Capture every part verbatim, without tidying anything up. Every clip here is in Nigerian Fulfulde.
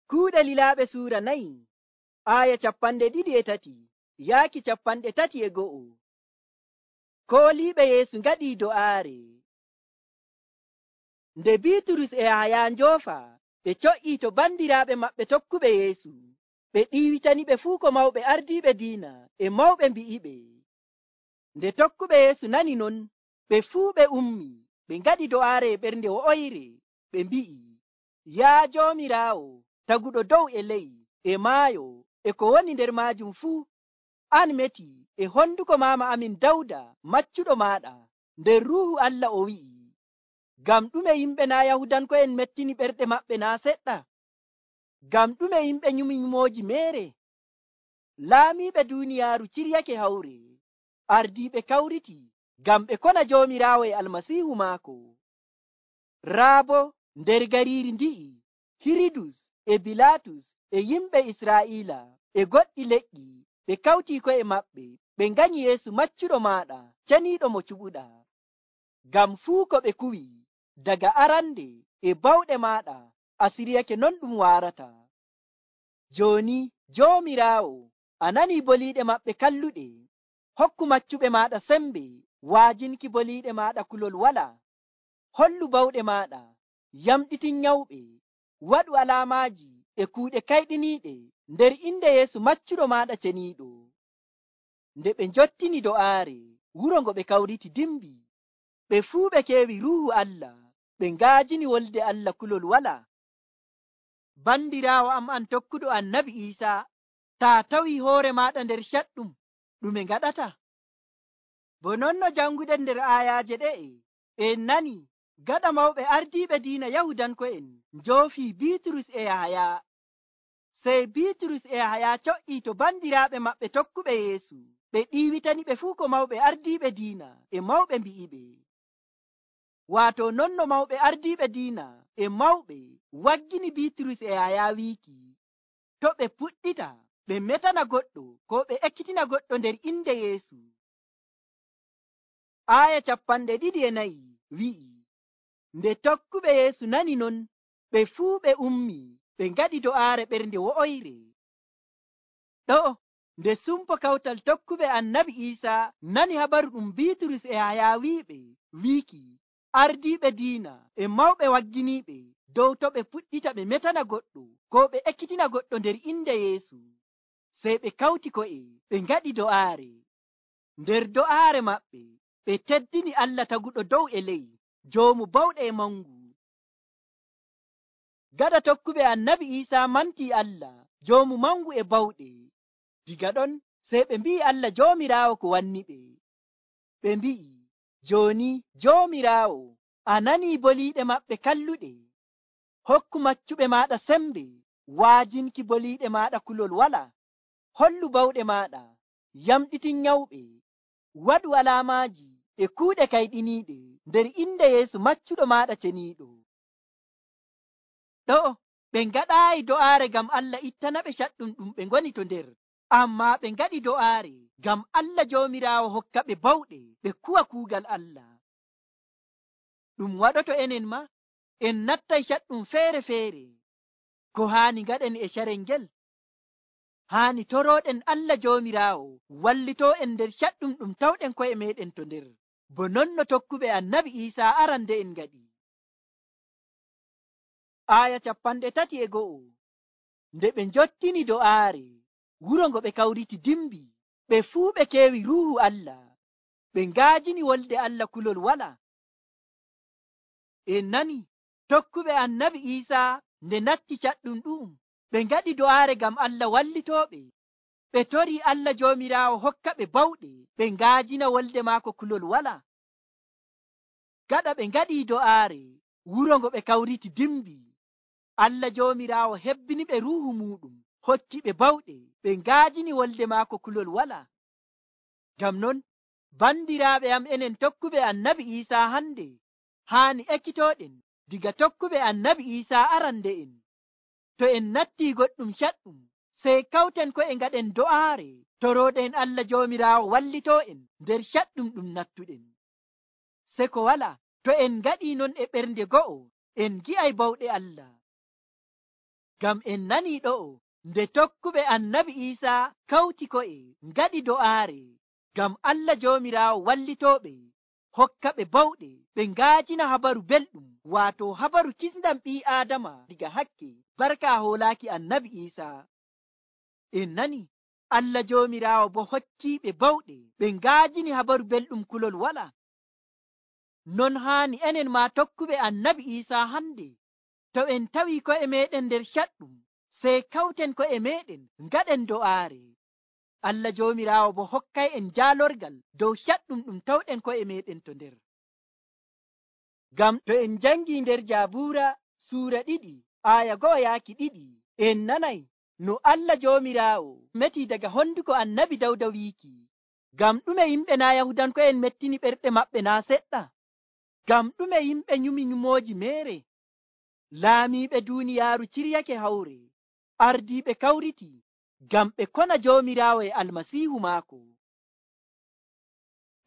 Kuuɗe Lilaaɓe suura nayi aaya capanɗe ɗiɗi e tati yaaki capanɗe tati e go'o. Kooliiɓe Yeesu ngaɗii do'aare. Nde Biiturus e Yahaya njoofa, ɓe co'ii to bandiraaɓe maɓɓe tokkuɓe Yeesu. Ɓe ɗiiwitaniɓe fuu ko mawɓe ardiiɓe diina e mawɓe mbi'iɓe. Nde tokkuɓe Yeesu nani non, ɓe fuu ɓe ummi, ɓe ngaɗi do'aare e ɓernde wo'oyre, ɓe mbi'i, “Yaa Joomiraawo, taguɗo dow e ley, e maayo, e ko woni nder maajum fuu, an meti e honduko maama amin Dawda maccuɗo maaɗa, nder Ruuhu Allah o wi'i, ngam ɗume yimɓe naa' Yahudanko'en mettini ɓerɗe maɓɓe naa' seɗɗa? Ngam ɗume yimɓe nyumi nyumooji meere? Laamiiɓe duuniyaaru ciryake hawre, ardiiɓe kawriti ngam ɓe kona Joomiraawo e Almasiihu maako. Raa boo nder gariiri ndi'i, Hiridus e Bilaatus e yimɓe Israa'iila e goɗɗi leƴƴi ɓe kawtii ko'e maɓɓe ɓe nganyi Yeesu maccuɗo maaɗa ceniiɗo mo cuɓuɗaa. Ngam fuu ko ɓe kuwi daga arande e bawɗe maaɗa a siryake non ɗum waarata. Jooni Joomiraawo, a nanii boliiɗe maɓɓe kalluɗe. Hokku maccuɓe maaɗa sembe waajinki boliiɗe maaɗa kulol walaa. Hollu bawɗe maaɗa, yamɗitin nyawɓe, waɗu alaamaaji e kuuɗe kayɗiniiɗe nder inde Yeesu maccuɗo maaɗa ceniiɗo. Nde ɓe njottini do'aare, wuro ngo ɓe kawriti dimbi. Ɓe fuu ɓe keewi Ruuhu Allah, ɓe ngaajini wolde Allah kulol walaa. Bandiraawo am an tokkuɗo Annabi Iisaa, taa tawii hoore maaɗa nder caɗɗum, ɗume ngaɗata? Bo non no janguɗen nder aayaaje ɗe'e, en nani gaɗa mawɓe ardiiɓe diina Yahudanko'en njoofii Biiturus e Yahaya. Sey Biiturus e Yahaya co'ii to bandiraaɓe maɓɓe tokkuɓe Yeesu, ɓe ɗiiwitaniɓe fuu ko mawɓe ardiiɓe diina e mawɓe mbi'iɓe. Waato non no mawɓe ardiiɓe diina e mawɓe waggini Biiturus e Yahaya wiiki, to ɓe puɗɗita ɓe metana goɗɗo ko ɓe ekkitina goɗɗo nder inde Yeesu. Aaya capanɗe ɗiɗi e nayi wi'i, nde tokkuɓe Yeesu nani non, ɓe fuu ɓe ummi, ɓe ngaɗi do'aare ɓernde wo'oyre. Ɗo'o nde sumpo kawtal tokkuɓe Annabi Iisaa nani habaru ɗum Biiturus e Yahaya wi'iɓe, wiiki ardiiɓe diina e mawɓe wagginiiɓe dow to ɓe puɗɗita ɓe metana goɗɗo ko ɓe ekkitina goɗɗo nder inde Yeesu. Sey ɓe kawti ko'e ɓe ngaɗi do'aare. Nder do'aare maɓɓe ɓe teddini Allah taguɗo dow e ley, joomu bawɗe e mangu. Gaɗa tokkuɓe Annabi Iisaa mantii Allah, joomu mangu e bawɗe. Diga ɗon sey ɓe mbi'i Allah Joomiraawo ko wanniɓe. Ɓe mbi'i, jooni Joomiraawo, a nanii boliiɗe maɓɓe kalluɗe. Hokku maccuɓe maaɗa sembe waajinki boliiɗe maaɗa kulol walaa. Hollu bawɗe maaɗa, yamɗitin nyawɓe, waɗu alaamaaji e kuuɗe kayɗiniiɗe nder inde Yeesu maccuɗo maaɗa ceniiɗo. Ɗo'o ɓe ngaɗaayi do'aare ngam Allah ittanaɓe caɗɗum ɗum ɓe ngoni to nder, ammaa ɓe ngaɗi do'aare ngam Allah Joomiraawo hokka ɓe bawɗe ɓe kuwa kuugal Allah. Ɗum waɗoto enen ma, en nattay caɗɗum feere-feere. Ko haani ngaɗen e carel ngel? Haani torooɗen Allah Joomiraawo wallitoo en nder caɗɗum ɗum tawɗen ko'e meeɗen to nder, bo non no tokkuɓe Annabi Iisaa arande en ngaɗi. Aaya capanɗe tati e go'o. Nde ɓe njottini do'aare, wuro ngo ɓe kawriti dimbi. Ɓe fuu ɓe keewi Ruuhu Allah, ɓe ngaajini wolde Allah kulol walaa. En nani tokkuɓe Annabi Iisaa nde natti caɗɗum ɗum, ɓe ngaɗi do'aare ngam Allah wallitooɓe. Ɓe torii Allah Joomiraawo hokka ɓe bawɗe ɓe ngaajina wolde maako kulol walaa. Gaɗa ɓe ngaɗii do'aare, wuro ngo ɓe kawriti dimbi. Allah Joomiraawo hebbini ɓe Ruuhu muuɗum, hokki ɓe bawɗe ɓe ngaajini wolde maako kulol walaa. Ngam non bandiraaɓe am, enen tokkuɓe Annabi Iisaa hande haani ekkitooɗen diga tokkuɓe Annabi Iisaa arande'en. To en nattii goɗɗum caɗɗum, sey kawten ko'e ngaɗen do'aare torooɗen Allah Joomiraawo wallitoo en nder caɗɗum ɗum nattuɗen. Se ko walaa, to en ngaɗii non e ɓernde go'o, en gi'ay bawɗe Allah. ngam en nani ɗo'o nde tokkuɓe annabi Iisaa kawti ko'e ngaɗi do'aare ngam Allah Joomiraawo wallitooɓe, hokka ɓe bawɗe ɓe ngaajina habaru belɗum, waato habaru kisndam ɓii Aadama diga hakke, barka hoolaaki annabi Iisaa. En nani Allah Joomiraawo bo hokkiiɓe bawɗe ɓe ngaajini habaru belɗum kulol wala. Non haani enen maa tokkuɓe annabi Iisaa hande, to en tawi ko'e meɗen nder caɗɗum, sey kawten ko'e meɗen ngaɗen do'aare. Allah Joomiraawo bo hokkay en jaalorgal dow caɗɗum ɗum tawɗen ko'e meɗen to nder. Ngam to en jangi nder Jaabuura suura ɗiɗi aaya go'o yaaki ɗiɗi, en nanay no Allah Joomiraawo meti daga honduko annabi Dawda wiiki, ngam ɗume yimɓe naa Yahudanko'en mettini ɓerɗe maɓɓe naa seɗɗa? Ngam ɗume yimɓe nyumi nyumooji meere? Laamiiɓe duuniyaaru ciryake hawre, ardiiɓe kawriti ngam ɓe kona Joomiraawo e Almasiihu maako.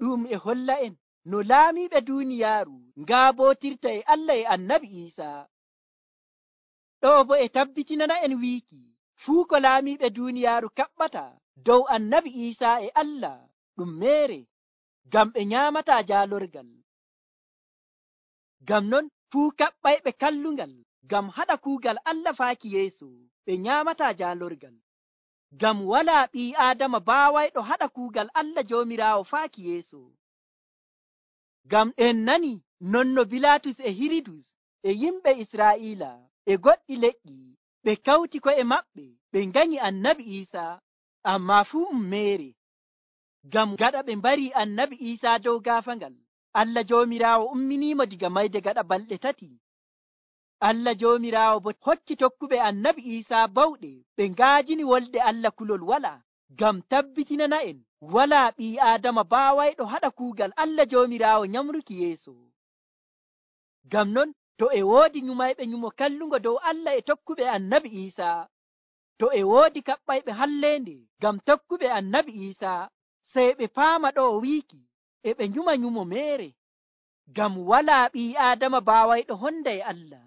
Ɗum e holla en no laamiiɓe duuniyaaru ngaabootirta e Allah e annabi Iisaa. Ɗo bo e tabbitinana en wiiki fuu ko laamiiɓe duuniyaaru kaɓɓata dow annabi Iisaa e Allah ɗum meere, ngam ɓe nyaamataa jaalorgal. Ngam non fuu kaɓɓayɓe kallungal ngam haɗa kuugal Allah faaki yeeso, ɓe nyaamataa jaalorgal. Ngam walaa ɓii Aadama baawayɗo haɗa kuugal Allah Joomiraawo faaki yeeso. Ngam en nani non no Bilaatus e Hiridus e yimɓe Israa'iila e goɗɗi leƴƴi ɓe kawti ko'e maɓɓe ɓe nganyi annabi Iisaa, ammaa fuu um meere. Ngam gaɗa ɓe mbarii annabi Iisaa dow gaafangal, Allah Joomiraawo umminiimo diga mayde gaɗa balɗe tati. Allah Joomiraawo bo hokki tokkuɓe annabi Iisaa bawɗe ɓe ngaajini wolde Allah kulol wala, ngam tabbitinana en walaa ɓii Aadama baawayɗo haɗa kuugal Allah Joomiraawo nyamruki yeeso. Ngam non to e woodi nyumayɓe nyumo kallungo dow Allah e tokkuɓe annabi Iisaa, to e woodi kaɓɓayɓe halleende ngam tokkuɓe annabi Iisaa, sey ɓe paama ɗo o wiiki e ɓe nyuma nyumo meere, ngam walaa ɓii Aadama baawayɗo honda e Allah.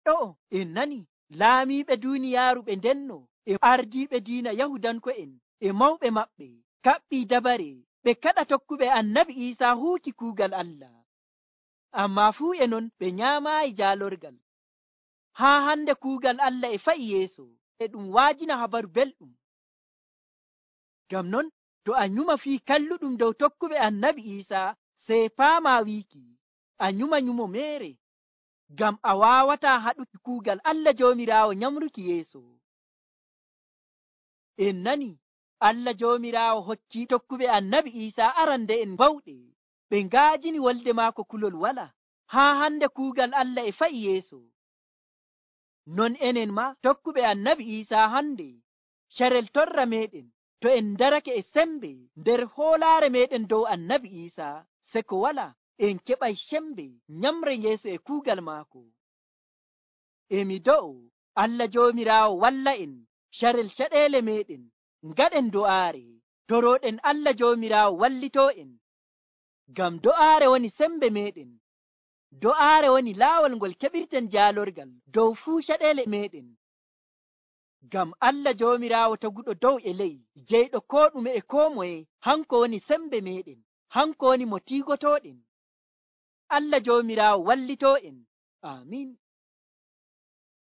Ɗo en nani laamiiɓe duuniyaaru ɓe ndenno e ardiiɓe diina Yahudanko'en e mawɓe maɓɓe kaɓɓii dabare ɓe kaɗa tokkuɓe annabi Iisaa huuki kuugal Allah, ammaa fuu e non ɓe nyaamaayi jaalorgal. Haa hande kuugal Allah e fa'i yeeso e ɗum waajina habaru belɗum. Ngam non to a nyuma fii kalluɗum dow tokkuɓe annabi Iisaa, sey paamaa wiiki a nyuma nyumo meere, ngam a waawataa haɗuki kuugal Allah Joomiraawo nyamruki yeeso. En nani Allah Joomiraawo hokkii tokkuɓe annabi Iisaa arande'en bawɗe ɓe ngaajini wolde maako kulol wala. Haa hande kuugal Allah e fa'i yeeso. Non enen ma tokkuɓe annabi Iisaa hande, carel torra meɗen to en darake e sembe nder hoolaare meɗen dow annabi Iisaa, se ko wala en keɓay sembe nyamre yeeso e kuugal maako. Emi do'o Allah Joomiraawo walla en carel caɗeele meɗen ngaɗen do'aare, torooɗen Allah Joomiraawo wallitoo en. Ngam do'aare woni sembe meɗen, do'aare woni laawol ngol keɓirten jaalorgal dow fuu caɗeele meɗen. Ngam Allah Joomiraawo taguɗo dow e ley, jeyɗo koo ɗume e koo moye, hanko woni sembe meɗen, hanko woni mo tiigotooɗen. Allah Joomiraawo wallitoo en. Amiin.